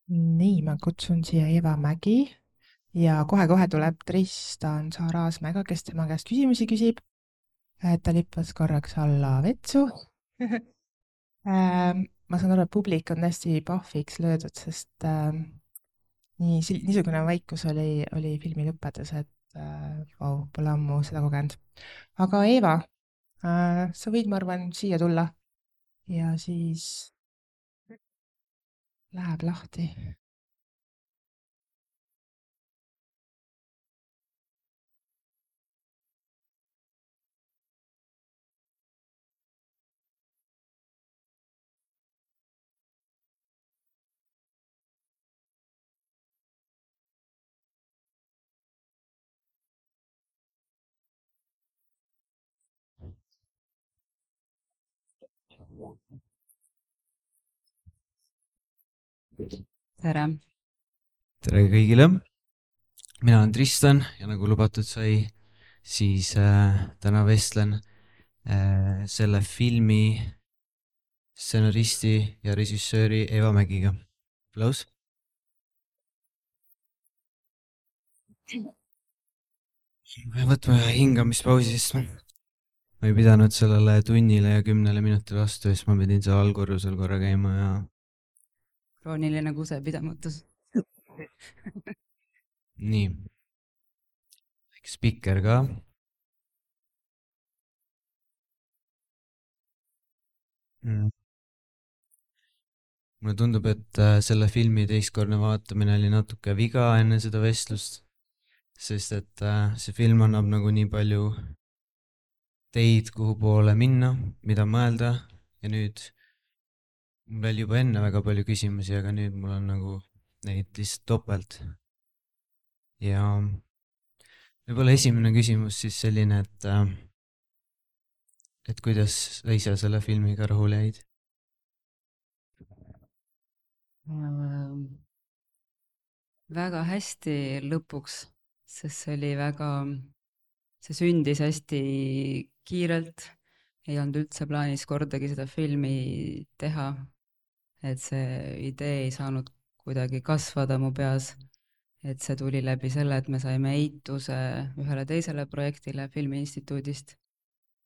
Nii, ma kutsun siia Eva Mägi ja kohe-kohe tuleb Tristan Sarasmäega, kes tema käest küsimusi küsib. Ta lippas korraks alla vetsu. Ma saan aru, et publik on hästi pahviks löödud, sest niisugune vaikus oli filmi lõppedes, et vau, pole ammu seda kogenud. Aga Eva, sa võid, ma arvan, siia tulla ja siis läheb lahti. tere! Tere kõigile, mina olen Tristan ja nagu lubatud sai, siis täna vestlen selle filmi stsenaristi ja režissööri Eva Mägiga. Aplaus. Võtme hingamispausi, sest ma ei pidanud sellele tunnile ja 10 minutile vastu, siis ma pidin seal allkorrusel korra käima ja Krooniline kusepidamatus. nii. Spikker ka. Mulle tundub, et selle filmi teistkordne vaatamine oli natuke viga enne seda vestlust, sest et see film annab nagu nii palju teid, kuhu poole minna, mida mõelda ja nüüd mul oli juba enne väga palju küsimusi, aga nüüd mul on nagu neid lihtsalt topelt. Ja võib-olla esimene küsimus siis selline, et kuidas sa ise selle filmiga rahule jäid? Väga hästi lõpuks, sest see sündis hästi kiirelt, ei olnud üldse plaanis kordagi seda filmi teha, et see idee ei saanud kuidagi kasvada mu peas, et see tuli läbi selle, et me saime eituse ühele teisele projektile Filmiinstituudist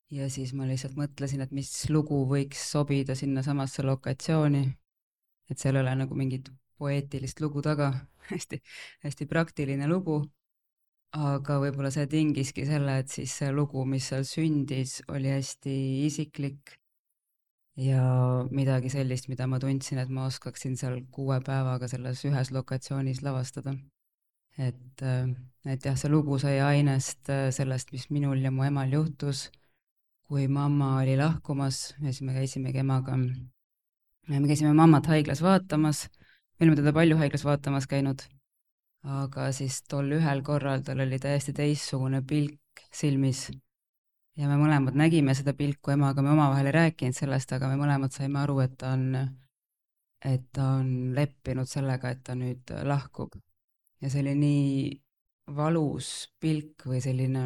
ja siis ma lihtsalt mõtlesin, et mis lugu võiks sobida sinna samasse lokatsiooni, et seal ei ole nagu mingit poeetilist lugu taga, hästi praktiline lugu, aga võib-olla see tingiski selle, et siis see lugu, mis seal sündis, oli hästi isiklik ja midagi sellist, mida ma tundsin, et ma oskaksin seal 6 päevaga selles ühes lokatsioonis lavastada. Et jah, see lugu sai ainest sellest, mis minul ja mu emal juhtus, kui mamma oli lahkumas ja siis me käisimegi emaga. Me käisime mammat haiglas vaatamas, me olime teda palju haiglas vaatamas käinud, aga siis tol ühel korral tal oli täiesti teistsugune pilk silmis ja me mõlemad nägime seda pilku emaga, me omavahel ei rääkinud sellest, aga me mõlemad saime aru, et ta on leppinud sellega, et ta nüüd lahkub. Ja see oli nii valus pilk või selline,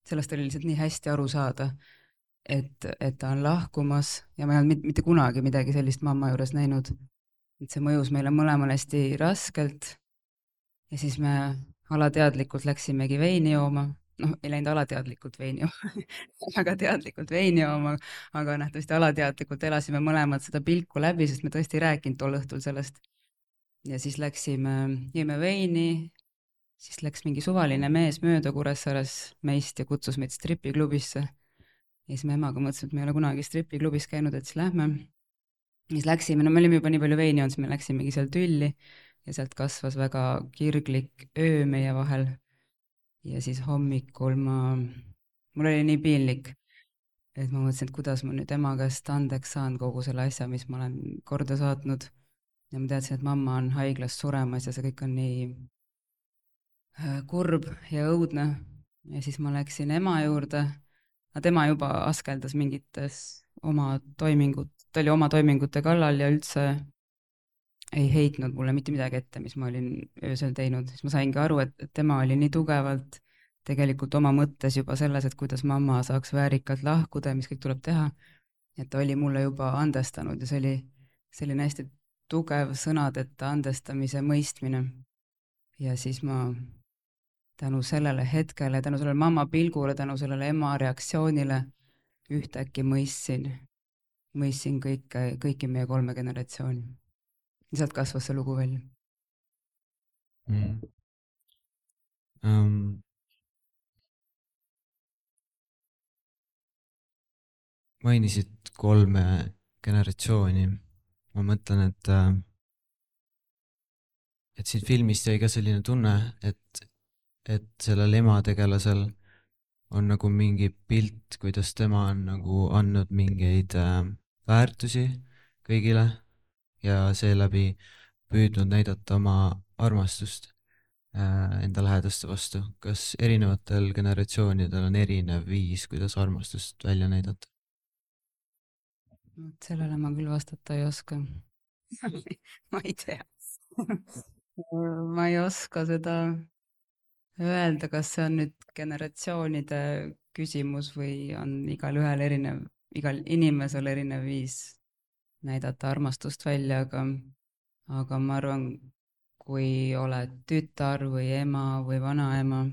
sellest oli lihtsalt nii hästi aru saada, et ta on lahkumas ja ma ei olnud mitte kunagi midagi sellist mamma juures näinud. Et see mõjus meile mõlemale hästi raskelt ja siis me alateadlikult läksimegi veini jooma. Ei läinud alateadlikult veini jooma, väga teadlikult veini jooma, aga nähtavasti alateadlikult elasime mõlemad seda pilku läbi, sest me tõesti ei rääkinud tol õhtul sellest. Ja siis jõime veini, siis läks mingi suvaline mees mööda Kuressaares meist ja kutsus meid stripiklubisse. Ja siis me emaga mõtlesime, et me ei ole kunagi stripiklubis käinud, et siis lähme. Siis läksime, me olime juba nii palju veini olnud, siis me läksimegi seal tülli ja sealt kasvas väga kirglik öö meie vahel. Ja siis hommikul mul oli nii piinlik, et ma mõtlesin, et kuidas ma nüüd ema käest andeks saan kogu selle asja, mis ma olen korda saatnud. Ja ma teadsin, et mamma on haiglas suremas ja see kõik on nii kurb ja õudne. Ja siis ma läksin ema juurde. Tema juba askeldas mingites oma toimingute kallal ja üldse ei heitnud mulle mitte midagi ette, mis ma olin öösel teinud. Siis ma saingi aru, et tema oli nii tugevalt tegelikult oma mõttes juba selles, et kuidas mamma saaks väärikalt lahkuda ja mis kõik tuleb teha. Et ta oli mulle juba andestanud ja see oli selline hästi tugev sõnadeta andestamise mõistmine. Ja siis ma tänu sellele hetkele, tänu sellele mamma pilgule, tänu sellele ema reaktsioonile ühtäkki mõistsin kõiki meie 3 generatsiooni. Ja sealt kasvas see lugu välja. Mainisid 3 generatsiooni. Ma mõtlen, et siin filmist jäi ka selline tunne, et sellel emategelasel on nagu mingi pilt, kuidas tema on nagu andnud mingeid väärtusi kõigile ja seeläbi püüdnud näidata oma armastust enda lähedaste vastu. Kas erinevatel generatsioonidel on erinev viis, kuidas armastust välja näidata? Sellele ma küll vastata ei oska. Ma ei tea. Ma ei oska seda öelda, kas see on nüüd generatsioonide küsimus või on igal inimesel erinev viis näidata armastust välja, aga ma arvan, kui oled tütar või ema või vanaema,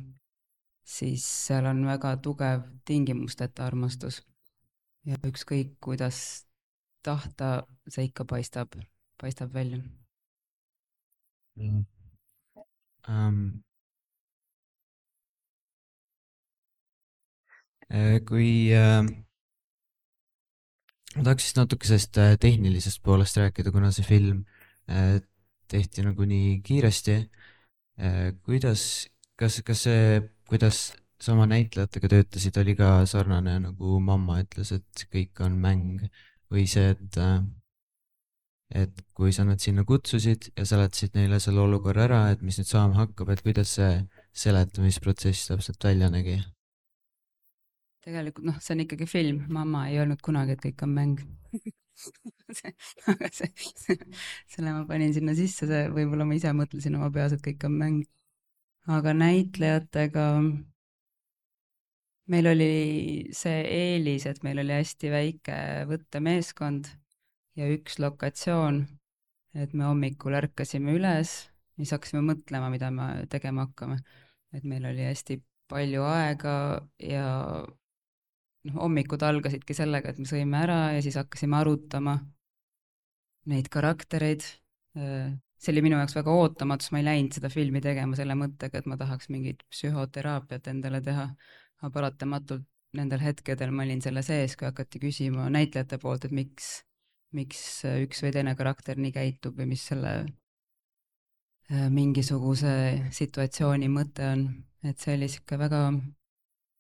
siis seal on väga tugev tingimusteta armastus. Ja ükskõik, kuidas tahta, see ikka paistab välja. Kui ma tahaks siis natuke sellest tehnilisest poolest rääkida, kuna see film tehti nagu nii kiiresti. Kas kuidas sama näitlejatega töötasid, oli ka sarnane, nagu mamma ütles, et kõik on mäng või see, et kui sa nad sinna kutsusid ja seletasid neile selle olukorra ära, et mis nüüd saama hakkab, et kuidas see seletamisprotsess täpselt välja nägi? Tegelikult see on ikkagi film, mamma ei öelnud kunagi, et kõik on mäng. Aga selle ma panin sinna sisse, võib-olla ma ise mõtlesin oma peas, et kõik on mäng. Aga näitlejatega meil oli see eelis, et meil oli hästi väike võttemeeskond ja üks lokatsioon, et me hommikul ärkasime üles ja siis hakkasime mõtlema, mida me tegema hakkame. Et meil oli hästi palju aega ja hommikud algasidki sellega, et me sõime ära ja siis hakkasime arutama neid karaktereid. See oli minu jaoks väga ootamatus, ma ei läinud seda filmi tegema selle mõttega, et ma tahaks mingit psühhoteraapiat endale teha, aga paratamatult nendel hetkedel ma olin selle sees, kui hakati küsima näitlejate poolt, et miks üks või teine karakter nii käitub või mis selle mingisuguse situatsiooni mõte on. Et see oli siuke väga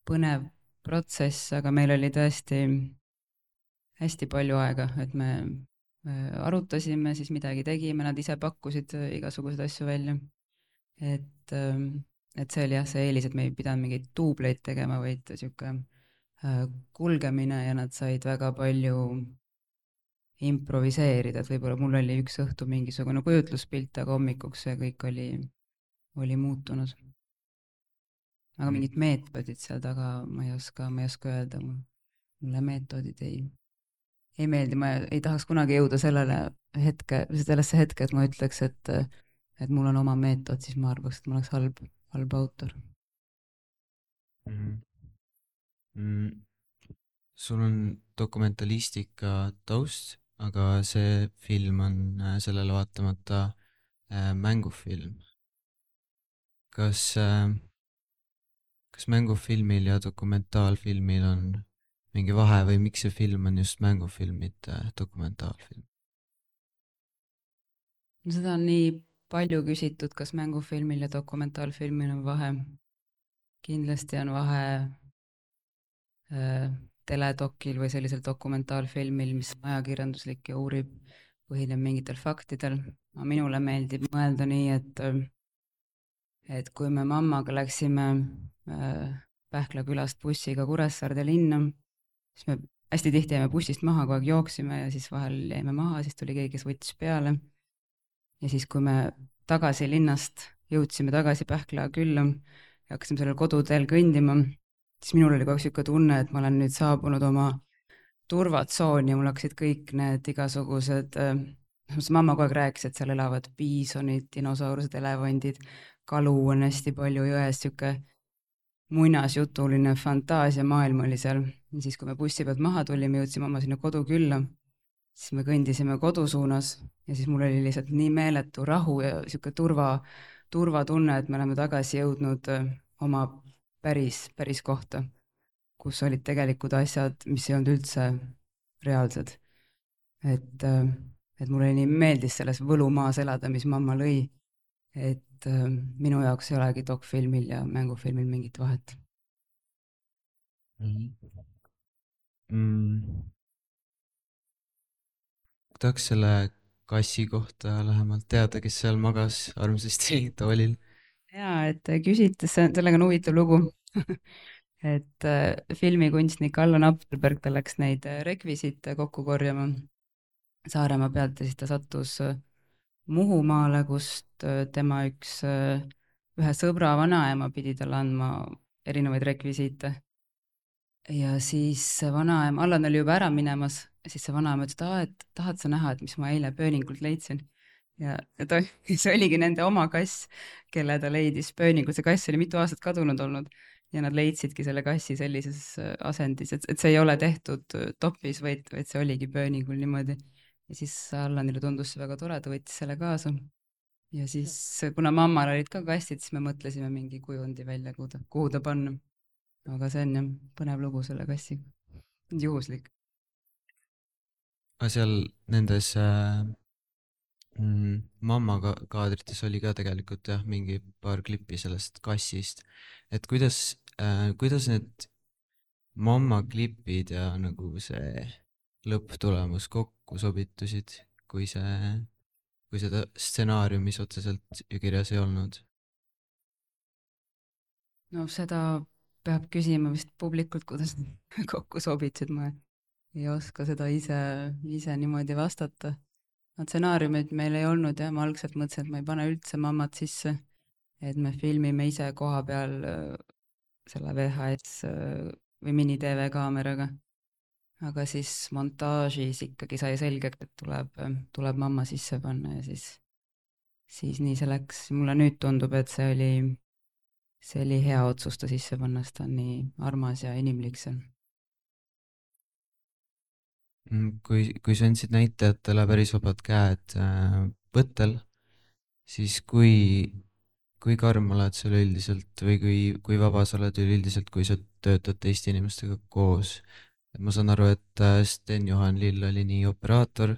põnev protsess, aga meil oli tõesti hästi palju aega, et me arutasime, siis midagi tegime, nad ise pakkusid igasuguseid asju välja. Et see oli jah, see eelis, et me ei pidanud mingeid duubleid tegema, vaid siuke kulgemine ja nad said väga palju improviseerida, et võib-olla mul oli üks õhtu mingisugune kujutluspilt, aga hommikuks see kõik oli muutunud. Aga mingid meetodid seal taga ma ei oska öelda, mulle meetodid ei meeldi, ma ei tahaks kunagi jõuda sellesse hetke, et ma ütleks, et mul on oma meetod, siis ma arvaks, et ma oleks halb autor. Sul on dokumentalistika taust, aga see film on sellele vaatamata mängufilm. Kas mängufilmil ja dokumentaalfilmil on mingi vahe või miks see film on just mängufilm, mitte dokumentaalfilm? Seda on nii palju küsitud, kas mängufilmil ja dokumentaalfilmil on vahe. Kindlasti on vahe teledokil või sellisel dokumentaalfilmil, mis on ajakirjanduslik ja põhineb mingitel faktidel. Minule meeldib mõelda nii, et kui me mammaga läksime Pähkla külast bussiga Kuressaarde linna, siis me hästi tihti jäime bussist maha, kogu aeg jooksime ja siis vahel jäime maha, siis tuli keegi, kes võttis peale. Ja siis, kui me tagasi linnast jõudsime tagasi Pähkla külla ja hakkasime sellel koduteel kõndima, siis minul oli kogu aeg siuke tunne, et ma olen nüüd saabunud oma turvatsooni ja mul hakkasid kõik need igasugused mamma kogu aeg rääkis, et seal elavad piisonid, dinosaurused, elevandid, kalu on hästi palju jões, sihuke muinasjutuline fantaasiamaailm oli seal. Ja siis, kui me bussi pealt maha tulime, jõudsime oma sinna kodukülla, siis me kõndisime kodu suunas ja siis mul oli lihtsalt nii meeletu rahu ja sihuke turvatunne, et me oleme tagasi jõudnud oma päris kohta, kus olid tegelikud asjad, mis ei olnud üldse reaalsed. Et mulle nii meeldis selles võlumaas elada, mis mamma lõi, et minu jaoks ei olegi dokfilmil ja mängufilmil mingit vahet. tahaks selle kassi kohta lähemalt teada, kes seal magas armsasti toolil. Jaa, et küsite, sellega on huvitav lugu. et filmikunstnik Allan Appelberg, ta läks neid rekvisiite kokku korjama Saaremaa pealt ja siis ta sattus Muhumaale, kust tema ühe sõbra vanaema pidi talle andma erinevaid rekvisiite. Ja siis vanaema, Allan oli juba ära minemas, siis see vanaema ütles, et tahad sa näha, et mis ma eile pööningult leidsin. Ja see oligi nende oma kass, kelle ta leidis pööningult. See kass oli mitu aastat kadunud olnud ja nad leidsidki selle kassi sellises asendis, et see ei ole tehtud topis, vaid see oligi pööningul niimoodi. Ja siis Allanile tundus see väga tore, ta võttis selle kaasa. Ja siis, kuna mammal olid ka kassid, siis me mõtlesime mingi kujundi välja, kuhu ta panna. Aga see on jah põnev lugu selle kassiga. Juhuslik. Aga seal nendes mamma kaadrites oli ka tegelikult jah, mingi paar klippi sellest kassist. Et kuidas need mamma klipid ja nagu see lõpptulemus kokku sobitusid, kui seda stsenaariumis otseselt ju kirjas ei olnud? No seda peab küsima vist publikult, kuidas kokku sobitsid, ma ei oska seda ise niimoodi vastata. Stsenaariumid meil ei olnud ja ma algselt mõtlesin, et ma ei pane üldse mammat sisse, et me filmime ise koha peal selle VHS või mini-TV kaameraga. Aga siis montaažis ikkagi sai selgeks, et tuleb mamma sisse panna ja siis nii see läks. Mulle nüüd tundub, et see oli hea otsus ta sisse panna, sest ta on nii armas ja inimlik seal. Kui sa andsid näitajatele päris vabad käed võttel, siis kui karm oled sa üleüldiselt või kui vaba sa oled üleüldiselt, kui sa töötad teiste inimestega koos? Et ma saan aru, et Sten-Juhan Lill oli nii operaator,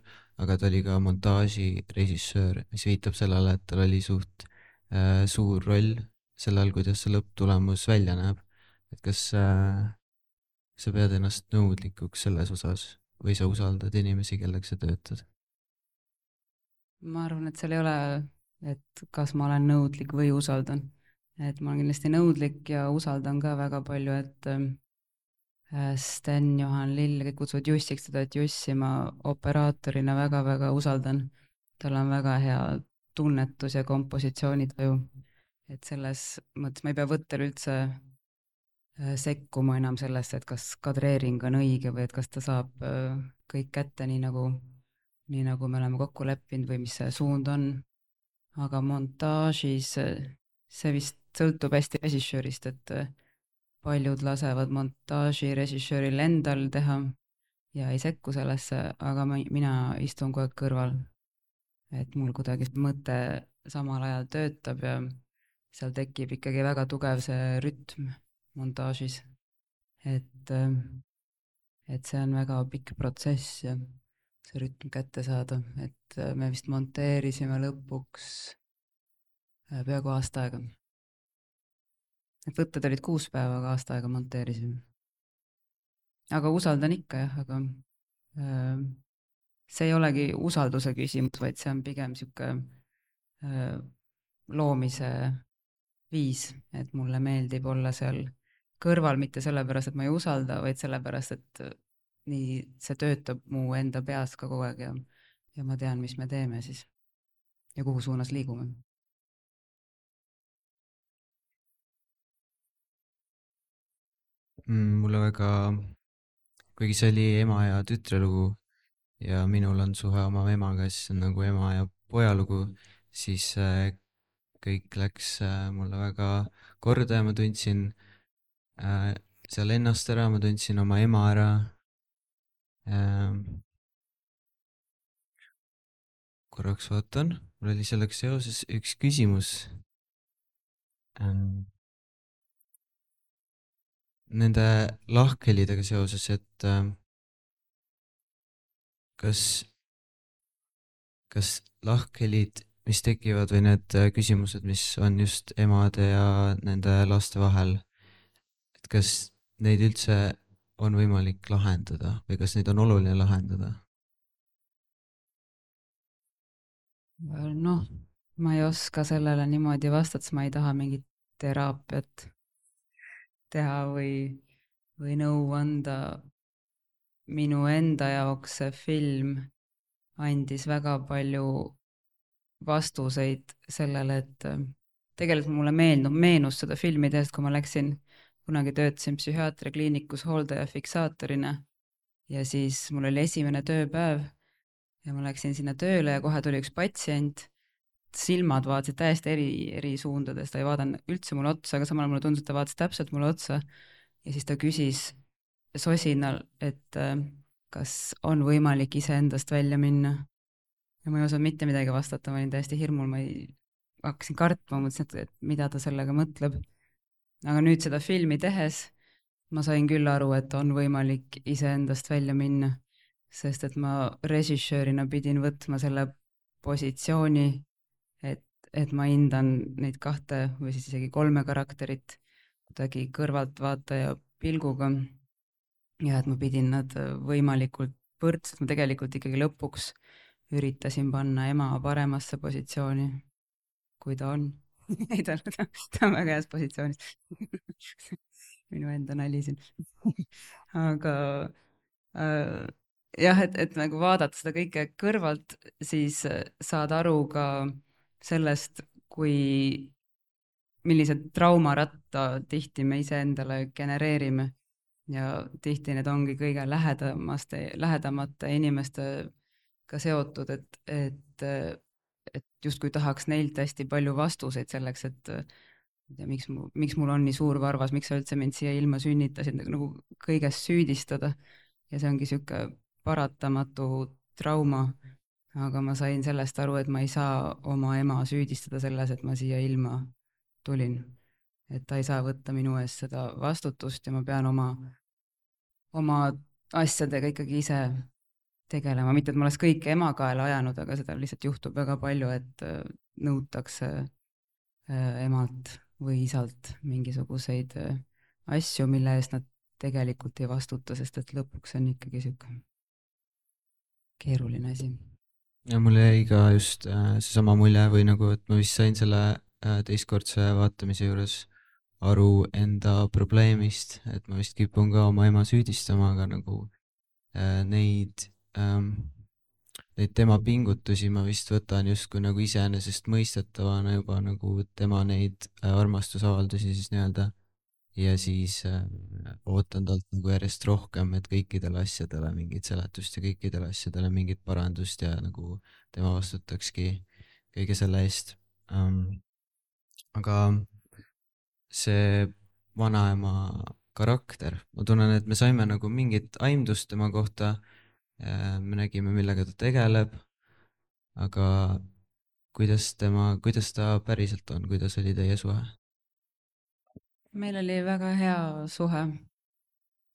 aga ta oli ka montaažirežissöör, mis viitab sellele, et tal oli suht suur roll sellel, kuidas see lõpptulemus välja näeb. Et kas sa pead ennast nõudlikuks selles osas või sa usaldad inimesi, kellega sa töötad? Ma arvan, et seal ei ole, et kas ma olen nõudlik või usaldan. Et ma olen kindlasti nõudlik ja usaldan ka väga palju, et Sten-Juhan Lill, kõik kutsuvad Jussiks teda, et Jussi ma operaatorina väga-väga usaldan. Tal on väga hea tunnetus ja kompositsioonitaju. Et selles mõttes ma ei pea võttel üldse sekkuma enam sellesse, et kas kadreering on õige või et kas ta saab kõik kätte nii nagu me oleme kokku leppinud või mis see suund on. Aga montaažis see vist sõltub hästi režissöörist, et paljud lasevad montaažirežissööril endal teha ja ei sekku sellesse, aga mina istun kogu aeg kõrval. Et mul kuidagi mõte samal ajal töötab ja seal tekib ikkagi väga tugev see rütm montaažis. Et see on väga pikk protsess ja see rütm kätte saada, et me vist monteerisime lõpuks peaaegu aasta aega. Et võtted olid 6 päeva, aga aasta aega monteerisime. Aga usaldan ikka jah, aga see ei olegi usalduse küsimus, vaid see on pigem sihuke loomise viis, et mulle meeldib olla seal kõrval, mitte sellepärast, et ma ei usalda, vaid sellepärast, et nii see töötab mu enda peas ka kogu aeg ja ma tean, mis me teeme siis ja kuhu suunas liigume. Mulle väga, kuigi see oli ema ja tütre lugu ja minul on suhe oma emaga, siis on nagu ema ja poja lugu, siis kõik läks mulle väga korda ja ma tundsin seal ennast ära, ma tundsin oma ema ära. Korraks vaatan, mul oli sellega seoses üks küsimus. Nende lahkhelidega seoses, et kas lahkhelid, mis tekivad või need küsimused, mis on just emade ja nende laste vahel, et kas neid üldse on võimalik lahendada või kas neid on oluline lahendada? Noh, ma ei oska sellele niimoodi vastata, sest ma ei taha mingit teraapiat teha või nõu anda. Minu enda jaoks see film andis väga palju vastuseid sellele, et tegelikult mulle meenus seda filmi tehes, kui ma kunagi töötasin psühhiaatriakliinikus hooldaja fiksaatorina ja siis mul oli esimene tööpäev ja ma läksin sinna tööle ja kohe tuli üks patsient, silmad vaatasid täiesti eri suundades, ta ei vaadanud üldse mulle otsa, aga samal mulle tundus, et ta vaatas täpselt mulle otsa ja siis ta küsis sosinal, et kas on võimalik iseendast välja minna. Ja ma ei osanud mitte midagi vastata, ma olin täiesti hirmul, hakkasin kartma, mõtlesin, et mida ta sellega mõtleb. Aga nüüd seda filmi tehes ma sain küll aru, et on võimalik iseendast välja minna, sest et ma režissöörina pidin võtma selle positsiooni, et ma hindan neid 2 või siis isegi 3 karakterit kuidagi kõrvaltvaataja pilguga ja et ma pidin nad võimalikult võrdselt, ma tegelikult ikkagi lõpuks üritasin panna ema paremasse positsiooni, kui ta on. Ei, ta on väga heas positsioonis. Minu enda nali siin. Aga jah, et nagu vaadata seda kõike kõrvalt, siis saad aru ka sellest, millised traumaratta tihti me iseendale genereerime ja tihti need ongi kõige lähedamate inimestega seotud, et justkui tahaks neilt hästi palju vastuseid selleks, et miks mul on nii suur varvas, miks sa üldse mind siia ilma sünnitasid, nagu kõiges süüdistada ja see ongi sihuke paratamatu trauma, aga ma sain sellest aru, et ma ei saa oma ema süüdistada selles, et ma siia ilma tulin. Et ta ei saa võtta minu eest seda vastutust ja ma pean oma asjadega ikkagi ise tegelema, mitte et ma oleks kõike ema kaela ajanud, aga seda lihtsalt juhtub väga palju, et nõutakse emalt või isalt mingisuguseid asju, mille eest nad tegelikult ei vastuta, sest et lõpuks on ikkagi sihuke keeruline asi. Ja mul jäi ka just seesama mulje või nagu, et ma vist sain selle teistkordse vaatamise juures aru enda probleemist, et ma vist kipun ka oma ema süüdistama, aga nagu neid tema pingutusi ma vist võtan justkui nagu iseenesestmõistetavana juba nagu tema neid armastusavaldusi siis nii-öelda ja siis ootan talt nagu järjest rohkem, et kõikidele asjadele mingit seletust ja kõikidele asjadele mingit parandust ja nagu tema vastutakski kõige selle eest. Aga see vanaema karakter, ma tunnen, et me saime nagu mingit aimdust tema kohta, me nägime, millega ta tegeleb, aga kuidas ta päriselt on, kuidas oli teie suhe? Meil oli väga hea suhe,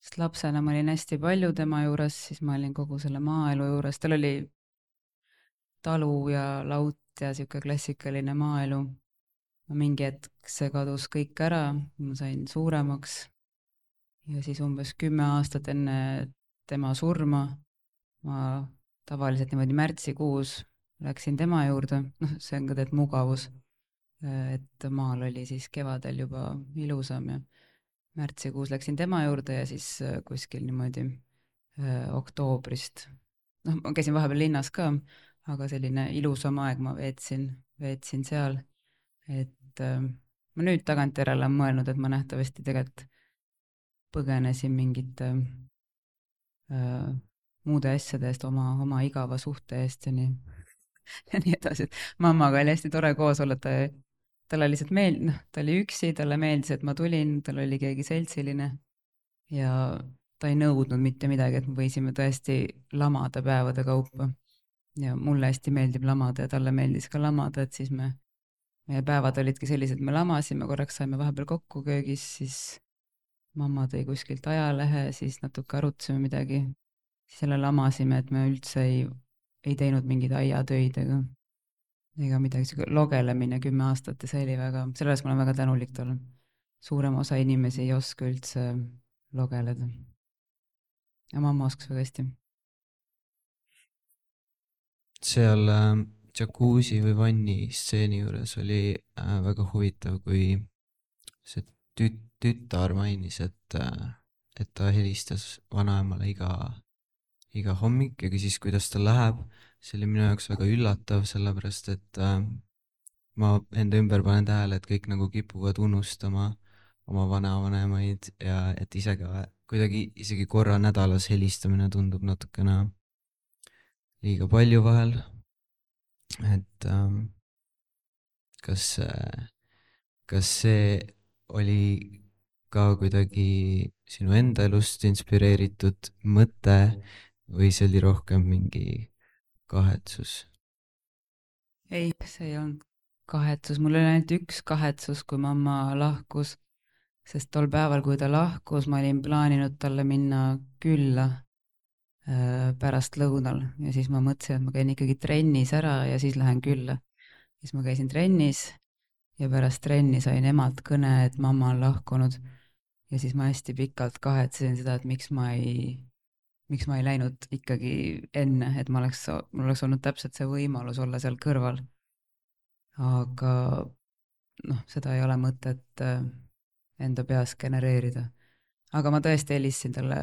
sest lapsena ma olin hästi palju tema juures, siis ma olin kogu selle maaelu juures, tal oli talu ja laut ja sihuke klassikaline maaelu. Mingi hetk see kadus kõik ära, ma sain suuremaks ja siis umbes 10 aastat enne tema surma ma tavaliselt niimoodi märtsikuus läksin tema juurde, see on ka tegelikult mugavus, et maal oli siis kevadel juba ilusam ja märtsikuus läksin tema juurde ja siis kuskil niimoodi oktoobrist, ma käisin vahepeal linnas ka, aga selline ilusam aeg ma veetsin seal, et ma nüüd tagantjärele olen mõelnud, et ma nähtavasti tegelikult põgenesin mingite muude asjade eest, oma igava suhte eest ja nii ja nii edasi, et mammaga oli hästi tore koos olla, talle lihtsalt ta oli üksi, talle meeldis, et ma tulin, tal oli keegi seltsiline ja ta ei nõudnud mitte midagi, et me võisime tõesti lamada päevade kaupa. Ja mulle hästi meeldib lamada ja talle meeldis ka lamada, et siis meie päevad olidki sellised, me lamasime, korraks saime vahepeal kokku köögis, siis mamma tõi kuskilt ajalehe, siis natuke arutasime midagi, siis jälle lamasime, et me üldse ei teinud mingeid aiatöid ega midagi, sihuke logelemine 10 aastat ja see oli väga, selles ma olen väga tänulik talle. Suurem osa inimesi ei oska üldse logeleda. Ja mamma oskas väga hästi. seal džakuusi või vanni stseeni juures oli väga huvitav, kui see tütar mainis, et ta helistas vanaemale iga hommik ja küsis, kuidas tal läheb. See oli minu jaoks väga üllatav, sellepärast et ma enda ümber panen tähele, et kõik nagu kipuvad unustama oma vanavanemaid ja et ise ka kuidagi isegi korra nädalas helistamine tundub natukene liiga palju vahel. Et kas see oli ka kuidagi sinu enda elust inspireeritud mõte või see oli rohkem mingi kahetsus? Ei, see ei olnud kahetsus, mul oli ainult üks kahetsus, kui mamma lahkus, sest tol päeval, kui ta lahkus, ma olin plaaninud talle minna külla pärast lõunal ja siis ma mõtlesin, et ma käin ikkagi trennis ära ja siis lähen külla. Siis ma käisin trennis ja pärast trenni sain emalt kõne, et mamma on lahkunud ja siis ma hästi pikalt kahetsesin seda, et miks ma ei läinud ikkagi enne, et mul oleks olnud täpselt see võimalus olla seal kõrval. Aga seda ei ole mõtet enda peas genereerida. Aga ma tõesti helistasin talle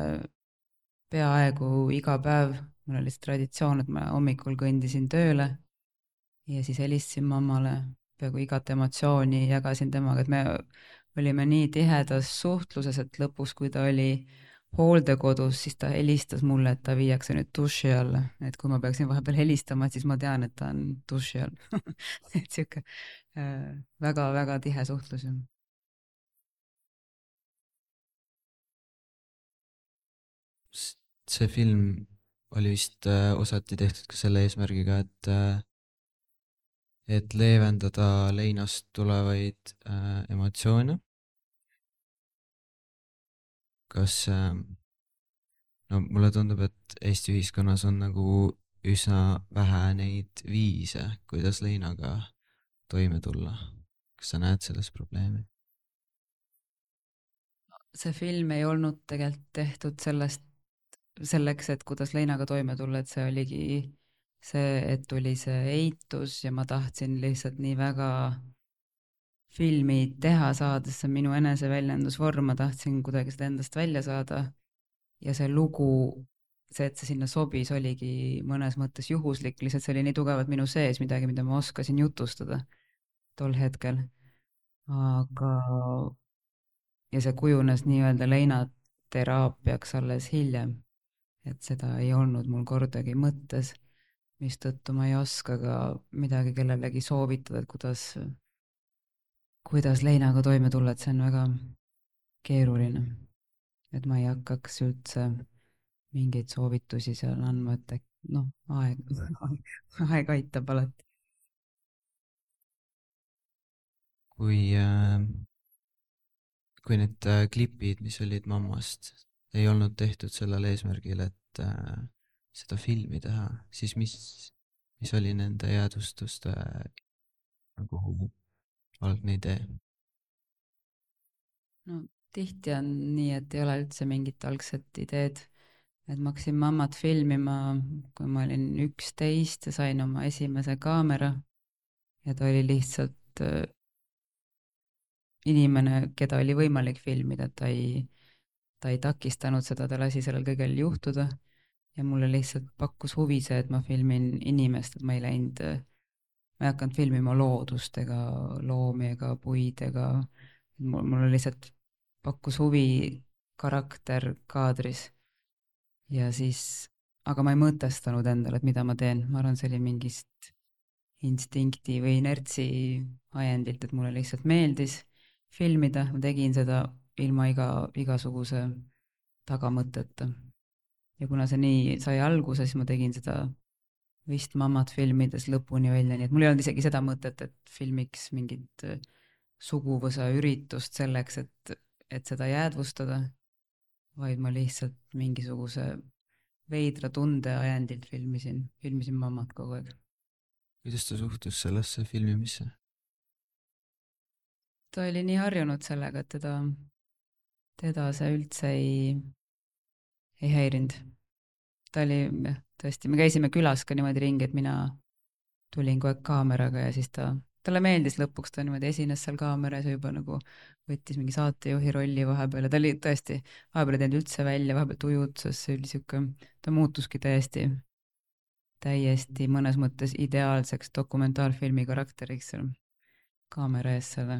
peaaegu iga päev, mul oli see traditsioon, et ma hommikul kõndisin tööle ja siis helistasin mammale, peaaegu igat emotsiooni jagasin temaga, et me olime nii tihedas suhtluses, et lõpus, kui ta oli hooldekodus, siis ta helistas mulle, et ta viiakse nüüd duši alla, et kui ma peaksin vahepeal helistama, siis ma tean, et ta on duši all et sihuke väga-väga tihe suhtlus. See film oli vist osati tehtud ka selle eesmärgiga, et leevendada leinast tulevaid emotsioone. Kas, mulle tundub, et Eesti ühiskonnas on nagu üsna vähe neid viise, kuidas leinaga toime tulla. Kas sa näed selles probleemi? See film ei olnud tegelikult tehtud selleks, et kuidas leinaga toime tulla, et see oligi see, et tuli see eitus ja ma tahtsin lihtsalt nii väga filmi teha saada, see on minu eneseväljendusvorm, ma tahtsin kuidagi seda endast välja saada ja see lugu, see, et see sinna sobis, oligi mõnes mõttes juhuslik, lihtsalt see oli nii tugevalt minu sees, midagi, mida ma oskasin jutustada tol hetkel. Aga ja see kujunes nii-öelda leinateraapiaks alles hiljem, et seda ei olnud mul kordagi mõttes, mistõttu ma ei oska ka midagi kellelegi soovitada, et kuidas leinaga toime tulla, et see on väga keeruline. Et ma ei hakkaks üldse mingeid soovitusi seal andma, et aeg aitab alati. Kui need klipid, mis olid mammast, ei olnud tehtud sellel eesmärgil, et seda filmi teha, siis mis oli nende jäädvustuste nagu algne idee? No tihti on nii, et ei ole üldse mingit algset ideed, et ma hakkasin mammat filmima, kui ma olin 11 ja sain oma esimese kaamera ja ta oli lihtsalt inimene, keda oli võimalik filmida, ta ei takistanud seda, ta lasi sellel kõigel juhtuda ja mulle lihtsalt pakkus huvi see, et ma filmin inimest, et ma ei hakanud filmima loodust ega loomi ega puid ega mulle lihtsalt pakkus huvi karakter kaadris ja siis aga ma ei mõtestanud endale, et mida ma teen, ma arvan, see oli mingist instinkti või inertsi ajendilt, et mulle lihtsalt meeldis filmida, ma tegin seda ilma igasuguse tagamõteta. Ja kuna see nii sai alguse, siis ma tegin seda vist Mammat filmides lõpuni välja, nii et mul ei olnud isegi seda mõtet, et filmiks mingit suguvõsa üritust selleks, et seda jäädvustada, vaid ma lihtsalt mingisuguse veidra tunde ajendilt filmisin Mammat kogu aeg. kuidas ta suhtus sellesse filmimisse? Ta oli nii harjunud sellega, et teda see üldse ei häirinud. Ta oli, tõesti, me käisime külas ka niimoodi ringi, et mina tulin kogu aeg kaameraga ja siis talle meeldis lõpuks, ta niimoodi esines seal kaameras ja juba nagu võttis mingi saatejuhi rolli vahepeal ja ta oli tõesti, vahepeal ei teinud üldse välja, vahepeal tujutses, see oli siuke, ta muutuski täiesti mõnes mõttes ideaalseks dokumentaalfilmi karakteriks seal kaamera ees selle.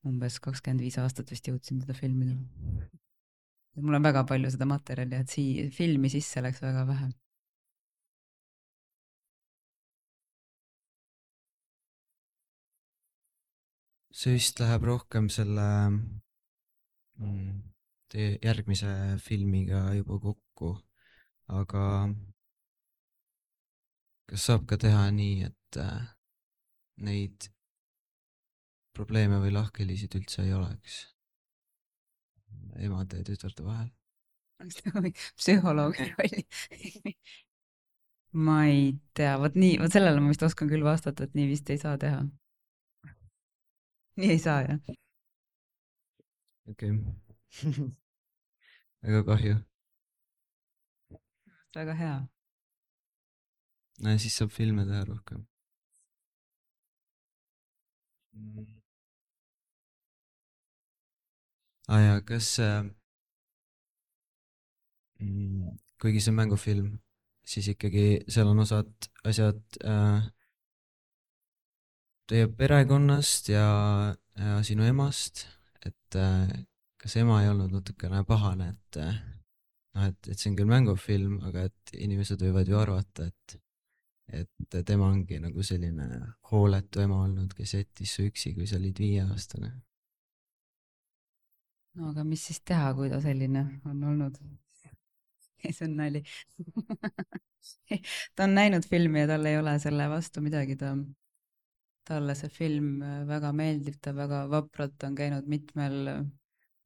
Umbes 25 aastat vist jõudsin teda filmida. Mul on väga palju seda materjali, et filmi sisse läks väga vähe. see vist läheb rohkem selle teie järgmise filmiga juba kokku, aga kas saab ka teha nii, et neid probleeme või lahkhelisid üldse ei oleks emade ja tütarde vahel? Psühholoogi rolli. Ma ei tea, vot sellele ma vist oskan küll vastata, et nii vist ei saa teha. Nii ei saa, jah. Okei. Väga kahju. Väga hea. No, siis saab filme teha rohkem. Ja kas kuigi see on mängufilm, siis ikkagi seal on asjad teie perekonnast ja sinu emast, et kas ema ei olnud natukene pahane, et see on küll mängufilm, aga et inimesed võivad ju arvata, et tema ongi nagu selline hooletu ema olnud, kes jättis su üksi, kui sa olid 5-aastane. No aga mis siis teha, kui ta selline on olnud? See on nali. Ta on näinud filmi ja tal ei ole selle vastu midagi. Talle see film väga meeldib, ta väga vapralt on käinud mitmel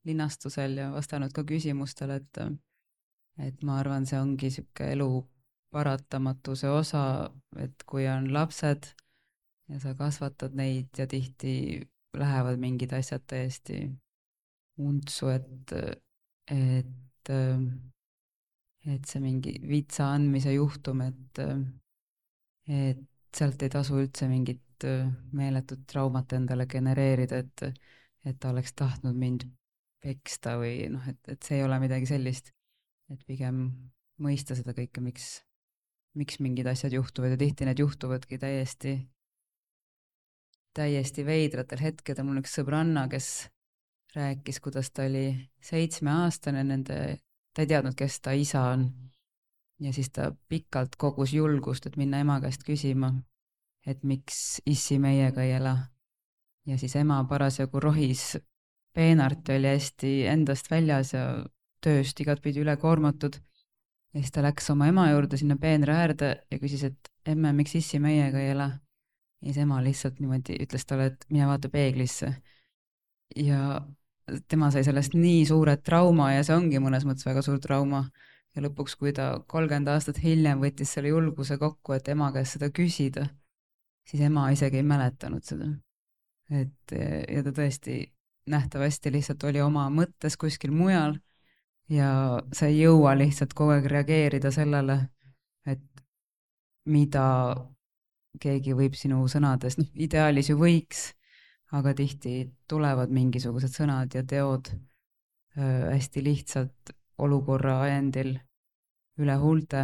linastusel ja vastanud ka küsimustele, et ma arvan, see ongi siuke elu paratamatuse osa, et kui on lapsed ja sa kasvatad neid ja tihti lähevad mingid asjad täiesti untsu, et see mingi vitsa andmise juhtum, et sealt ei tasu üldse mingit meeletut traumat endale genereerida, et ta oleks tahtnud mind peksta või noh, et see ei ole midagi sellist, et pigem mõista seda kõike, miks mingid asjad juhtuvad ja tihti need juhtuvadki täiesti veidratel hetkedel. Mul üks sõbranna, kes rääkis, kuidas ta oli 7-aastane, ta ei teadnud, kes ta isa on. Ja siis ta pikalt kogus julgust, et minna ema käest küsima, et miks issi meiega ei ela. Ja siis ema parasjagu rohis peenart oli hästi endast väljas ja tööst igatpidi üle koormatud. Ja siis ta läks oma ema juurde sinna peenra äärde ja küsis, et emme, miks issi meiega ei ela. Ja siis ema lihtsalt niimoodi ütles talle, et mine vaata peeglisse. Ja tema sai sellest nii suure trauma ja see ongi mõnes mõttes väga suur trauma. Ja lõpuks, kui ta 30 aastat hiljem võttis selle julguse kokku, et ema käest seda küsida, siis ema isegi ei mäletanud seda. Ja ta tõesti nähtavasti lihtsalt oli oma mõttes kuskil mujal ja sa ei jõua lihtsalt kogu aeg reageerida sellele, et mida keegi võib sinu sõnades, ideaalis ju võiks, aga tihti tulevad mingisugused sõnad ja teod hästi lihtsalt olukorra ajendil üle huulte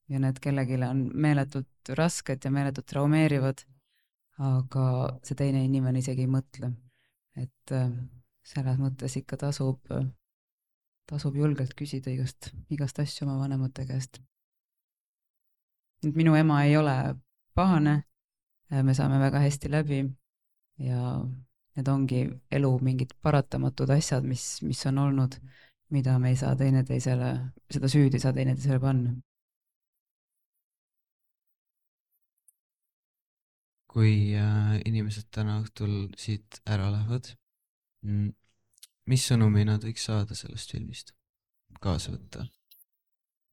ja need kellelegi on meeletult rasked ja meeletult traumeerivad, aga see teine inimene isegi ei mõtle. Et selles mõttes ikka tasub julgelt küsida igast asju oma vanemate käest. et minu ema ei ole pahane, me saame väga hästi läbi ja need ongi elu mingid paratamatud asjad, mis on olnud, mida me ei saa teineteisele, seda süüd ei saa teineteisele panna. kui inimesed täna õhtul siit ära lähevad, mis sõnumi nad võiks saada sellest filmist kaasa võtta?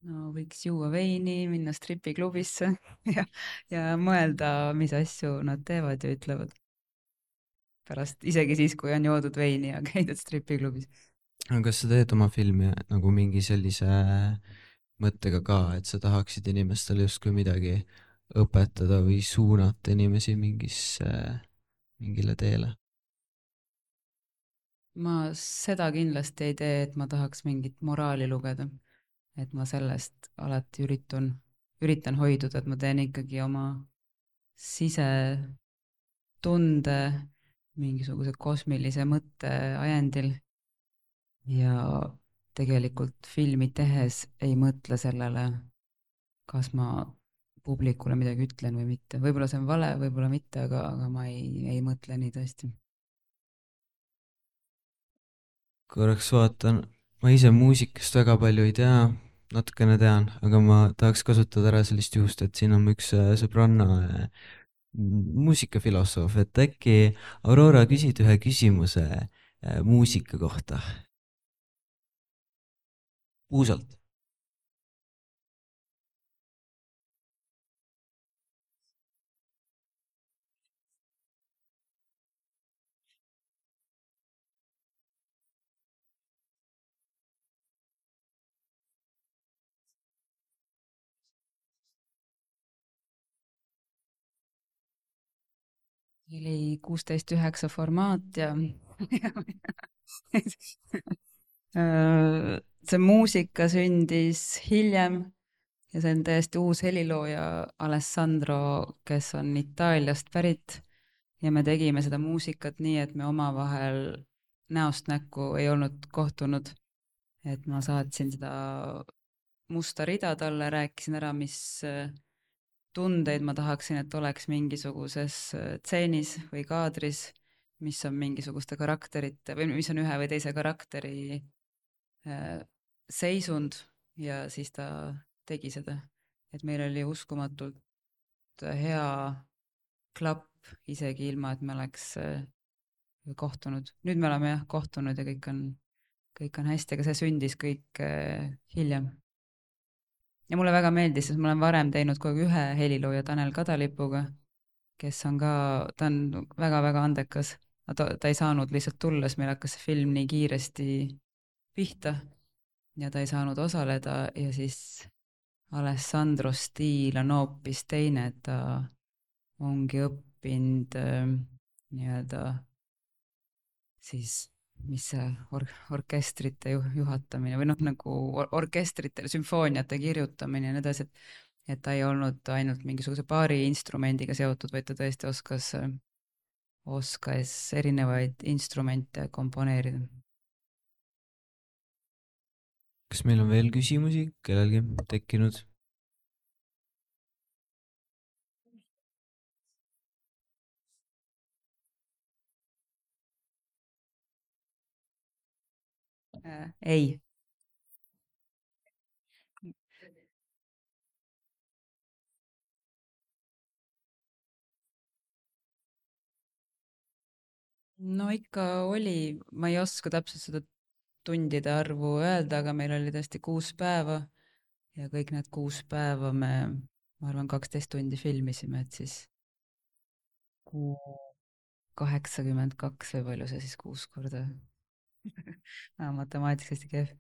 No võiks juua veini, minna stripiklubisse ja mõelda, mis asju nad teevad ja ütlevad. Pärast, isegi siis, kui on joodud veini ja käidud stripiklubis. aga kas sa teed oma filmi nagu mingi sellise mõttega ka, et sa tahaksid inimestele justkui midagi õpetada või suunata inimesi mingile teele? Ma seda kindlasti ei tee, et ma tahaks mingit moraali lugeda. Et ma sellest alati üritan hoiduda, et ma teen ikkagi oma sisetunde mingisuguse kosmilise mõtte ajendil. Ja tegelikult filmi tehes ei mõtle sellele, kas ma publikule midagi ütlen või mitte. Võib-olla see on vale, võib-olla mitte, aga ma ei mõtle nii tõesti. korraks vaatan, ma ise muusikast väga palju ei tea, natukene tean, aga ma tahaks kasutada ära sellist juhust, et siin on mu üks sõbranna muusikafilosoof, et äkki Aurora küsid ühe küsimuse muusika kohta. Puusalt. Oli 16:9 formaat ja see muusika sündis hiljem ja see on täiesti uus helilooja Alessandro, kes on Itaaliast pärit ja me tegime seda muusikat nii, et me omavahel näost näkku ei olnud kohtunud. Et ma saatsin seda musta rida talle, rääkisin ära, mis tundeid ma tahaksin, et oleks mingisuguses tseenis või kaadris, mis on mingisuguste karakterite või mis on ühe või teise karakteri seisund ja siis ta tegi seda. Et meil oli uskumatult hea klapp, isegi ilma, et me oleks kohtunud. Nüüd me oleme jah kohtunud ja kõik on hästi, aga see sündis kõik hiljem. Ja mulle väga meeldis, sest ma olen varem teinud kogu aeg ühe helilooja Tanel Kadalipuga, kes on ka, ta on väga-väga andekas. Ta ei saanud lihtsalt tulla, sest meil hakkas see film nii kiiresti pihta ja ta ei saanud osaleda ja siis Alessandro stiil on hoopis teine, et ta ongi õppinud nii-öelda siis mis see orkestrite juhatamine või noh, nagu orkestritele sümfooniate kirjutamine ja nii edasi, et ta ei olnud ainult mingisuguse paari instrumendiga seotud, vaid ta tõesti oskas erinevaid instrumente komponeerida. kas meil on veel küsimusi kellelgi tekkinud? Ei. No ikka oli, ma ei oska täpselt seda tundide arvu öelda, aga meil oli tõesti 6 päeva ja kõik need 6 päeva ma arvan 12 tundi filmisime, et siis 82 või palju see siis 6 korda matemaatikas hästi kehv.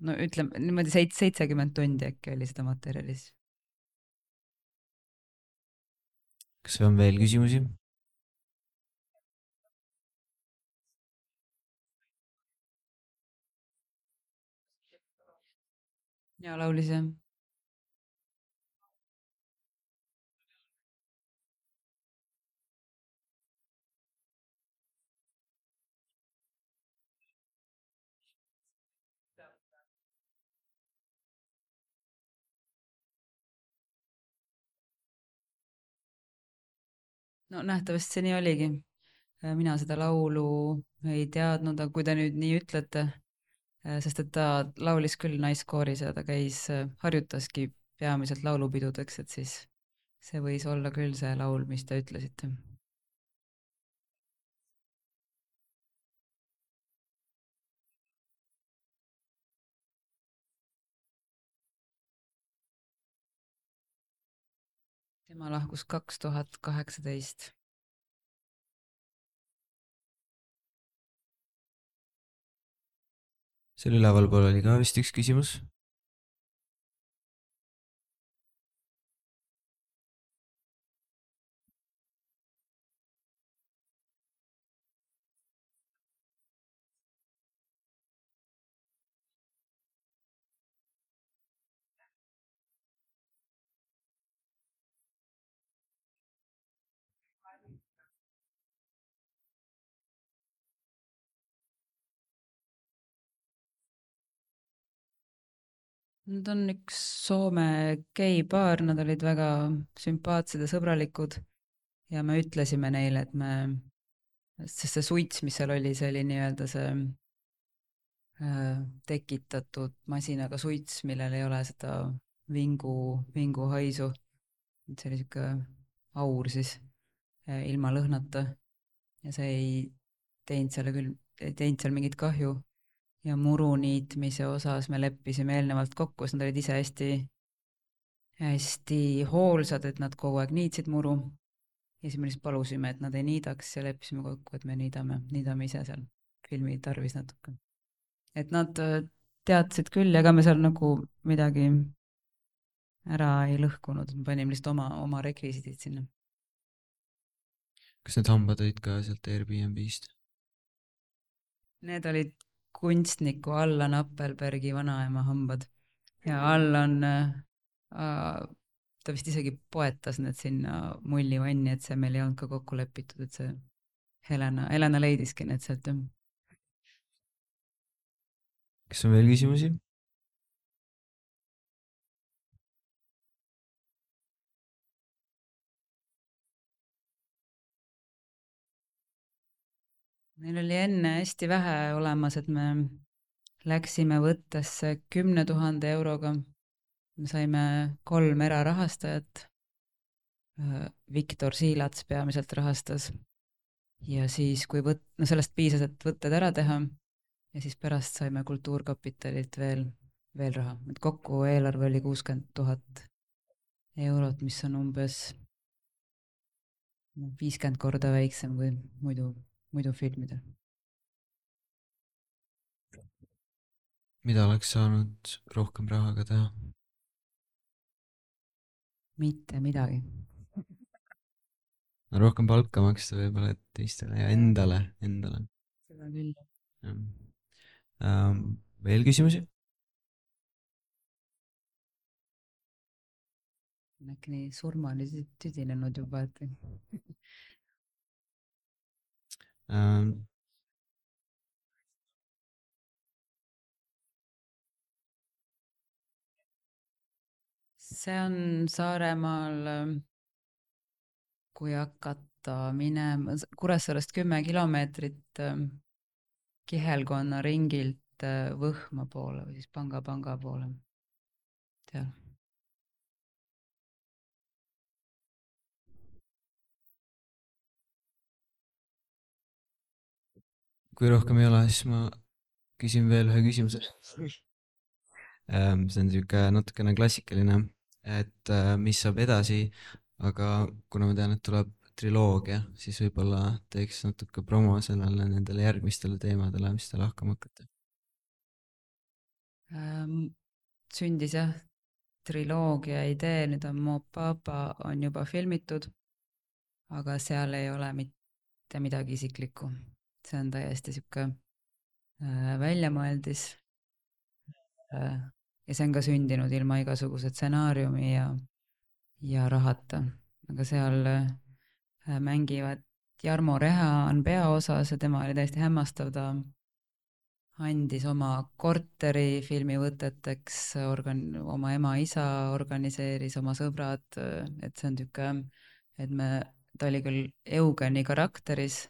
No ütleme niimoodi 70 tundi äkki oli seda materjalis. kas on veel küsimusi? Ja laulis jah. no nähtavasti see nii oligi. Mina seda laulu ei teadnud, aga kui te nüüd nii ütlete, sest et ta laulis küll naiskooris ja ta harjutaski peamiselt laulupidudeks, et siis see võis olla küll see laul, mis te ütlesite. Tema lahkus 2018. seal ülevalpool oli ka vist üks küsimus. Nad on üks Soome geipaar, nad olid väga sümpaatsed ja sõbralikud ja me ütlesime neile, et sest see suits, mis seal oli, see oli nii-öelda see tekitatud masinaga suits, millel ei ole seda vinguhaisu. See oli sihuke aur siis ilma lõhnata ja see ei teinud seal mingit kahju. Ja muru niitmise osas me leppisime eelnevalt kokku, sest nad olid ise hästi hoolsad, et nad kogu aeg niitsid muru. Ja siis me lihtsalt palusime, et nad ei niidaks ja leppisime kokku, et me niidame ise seal filmi tarvis natuke. Et nad teadsid küll, ega me seal nagu midagi ära ei lõhkunud, me panime lihtsalt oma rekvisiidid sinna. Kas need hambad olid ka sealt Airbnb-st? Need olid kunstniku Allan Appelbergi vanaema hambad ja Allan, ta vist isegi poetas need sinna mullivanni, et see meil ei olnud ka kokku lepitud, et see Helena leidiski need sealt. Kas on veel küsimusi? Meil oli enne hästi vähe olemas, et me läksime võttesse 10 000 euroga. Me saime 3 erarahastajat. Viktor Siilats peamiselt rahastas. Ja siis, kui sellest piisas, et võtted ära teha, ja siis pärast saime Kultuurkapitalilt veel raha. Et kokku eelarve oli 60 000 eurot, mis on umbes 50 korda väiksem kui muidu filmidel. Mida oleks saanud rohkem rahaga teha? Mitte midagi. No, rohkem palka maksta võib-olla teistele ja endale. Seda küll. Veel küsimusi? Äkki nii surmani tüdinenud juba, et see on Saaremaal, kui hakata minema Kuressaarest 10 kilomeetrit Kihelkonna ringilt Võhma poole või siis panga poole. Seal. Kui rohkem ei ole, siis ma küsin veel ühe küsimuse. See on niisugune natukene klassikaline, et mis saab edasi, aga kuna ma tean, et tuleb triloogia, siis võib-olla teeks natuke promo sellele nendele järgmistele teemadele, mis te lahkama hakkate. Sündis jah triloogia idee, nüüd on Mo Papa on juba filmitud, aga seal ei ole mitte midagi isiklikku. See on täiesti sihuke väljamõeldis. Ja see on ka sündinud ilma igasuguse stsenaariumi ja rahata. Aga seal mängivad Jarmo Reha on peaosas ja tema oli täiesti hämmastav, ta andis oma korteri filmivõteteks, oma ema-isa organiseeris, oma sõbrad, et see on tükk, et me ta oli küll Eugeni karakteris,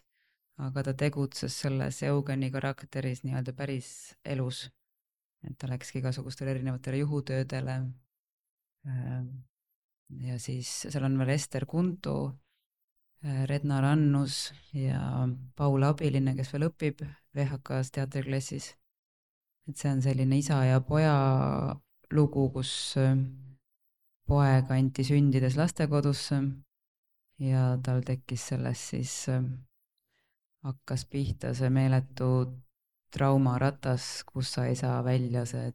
aga ta tegutses selles Eugeni karakteris nii-öelda päris elus. Et ta läkski igasugustele erinevatele juhutöödele. Ja siis seal on veel Ester Kuntu, Redna Rannus ja Paula Abiline, kes veel õpib VHK-s teatriklassis. Et see on selline isa ja poja lugu, kus poeg anti sündides lastekodusse ja tal tekkis sellest siis, hakkas pihta see meeletu traumaratas, kus sa ei saa välja see,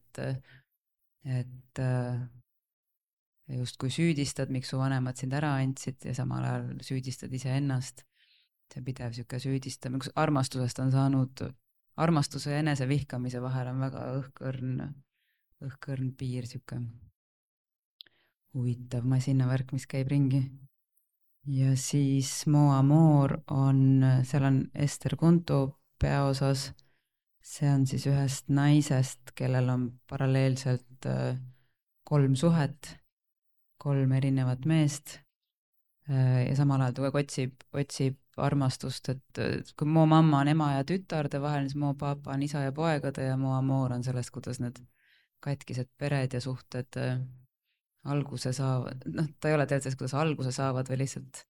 et justkui süüdistad, miks su vanemad sind ära andsid ja samal ajal süüdistad iseennast. See pidev sihuke süüdistamine, kus armastusest on saanud, armastuse ja enesevihkamise vahel on väga õhkõrn piir, sihuke huvitav masinavärk, mis käib ringi. Ja siis Mo Amor on, seal on Ester Kuntu peaosas. See on siis ühest naisest, kellel on paralleelselt 3 suhet, 3 erinevat meest ja samal ajal ta otsib armastust, et kui Mo mamma on ema ja tütarde vahel, siis Mo papa on isa ja poegade ja Mo Amor on sellest, kuidas need katkised pered ja suhted alguse saavad, ta ei ole teadses, kuidas alguse saavad või lihtsalt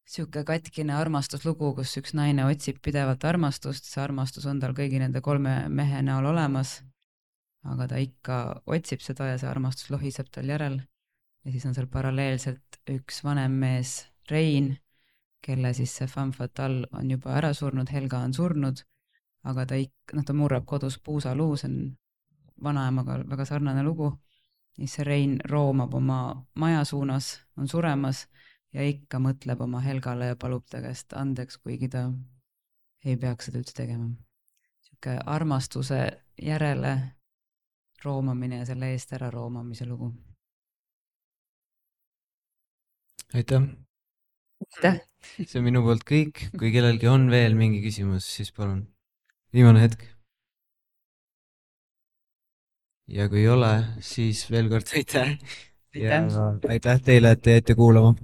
sihuke katkine armastuslugu, kus üks naine otsib pidevalt armastust, see armastus on tal kõigi nende 3 mehe näol olemas, aga ta ikka otsib seda ja see armastus lohiseb tal järel. Ja siis on seal paralleelselt üks vanem mees, Rein, kelle siis see femme fatale on juba ära surnud, Helga on surnud, aga ta murrab kodus puusaluu, see on vanaemaga väga sarnane lugu. Siis see Rein roomab oma maja suunas, on suremas ja ikka mõtleb oma Helgale ja palub ta käest andeks, kuigi ta ei peaks seda üldse tegema. Sihuke armastuse järele roomamine ja selle eest ära roomamise lugu. Aitäh! See on minu poolt kõik. Kui kellelgi on veel mingi küsimus, siis palun. Viimane hetk. Ja kui ei ole, siis veel kord aitäh. Ja aitäh teile, et te jäite kuulama.